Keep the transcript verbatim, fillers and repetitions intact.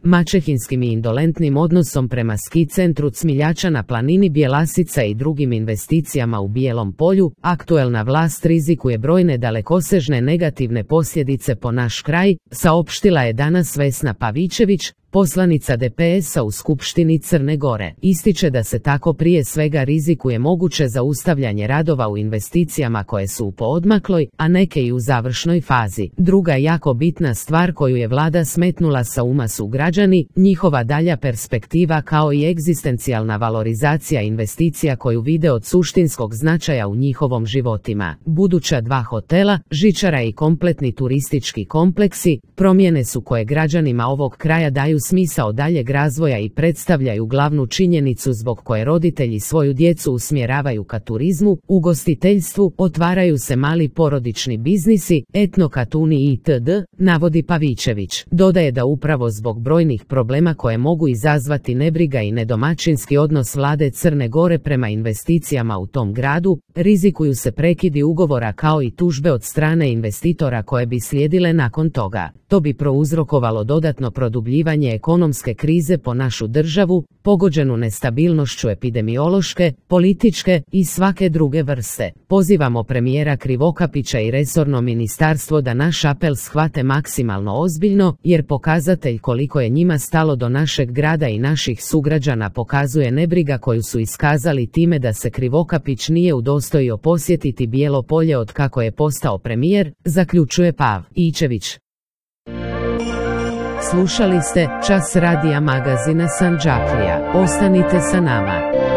maćehinskim i indolentnim odnosom prema ski centru Cmiljača na planini Bjelasica i drugim investicijama u Bijelom polju, aktuelna vlast rizikuje brojne dalekosežne negativne posljedice po naš kraj, saopštila je danas Vesna Pavićević, poslanica D P S-a u Skupštini Crne Gore. Ističe da se tako prije svega rizikuje moguće zaustavljanje radova u investicijama koje su u poodmakloj, a neke i u završnoj fazi. Druga jako bitna stvar koju je vlada smetnula sa uma su građani, njihova dalja perspektiva kao i egzistencijalna valorizacija investicija koju vide od suštinskog značaja u njihovom životima. Buduća dva hotela, žičara i kompletni turistički kompleksi, promjene su koje građanima ovog kraja daju smisao daljeg razvoja i predstavljaju glavnu činjenicu zbog koje roditelji svoju djecu usmjeravaju ka turizmu, ugostiteljstvu, otvaraju se mali porodični biznisi, etnokatuni itd., navodi Pavićević. Dodaje da upravo zbog brojnih problema koje mogu izazvati nebriga i nedomaćinski odnos vlade Crne Gore prema investicijama u tom gradu, rizikuju se prekidi ugovora kao i tužbe od strane investitora koje bi slijedile nakon toga. To bi prouzrokovalo dodatno produbljivanje ekonomske krize po našu državu, pogođenu nestabilnošću epidemiološke, političke i svake druge vrste. Pozivamo premijera Krivokapića i resorno ministarstvo da naš apel shvate maksimalno ozbiljno, jer pokazatelj koliko je njima stalo do našeg grada i naših sugrađana pokazuje nebriga koju su iskazali time da se Krivokapić nije udostojio posjetiti Bijelo polje od kako je postao premijer, zaključuje Pavićević. Slušali ste Čas radija magazina Sandžaklija. Ostanite sa nama.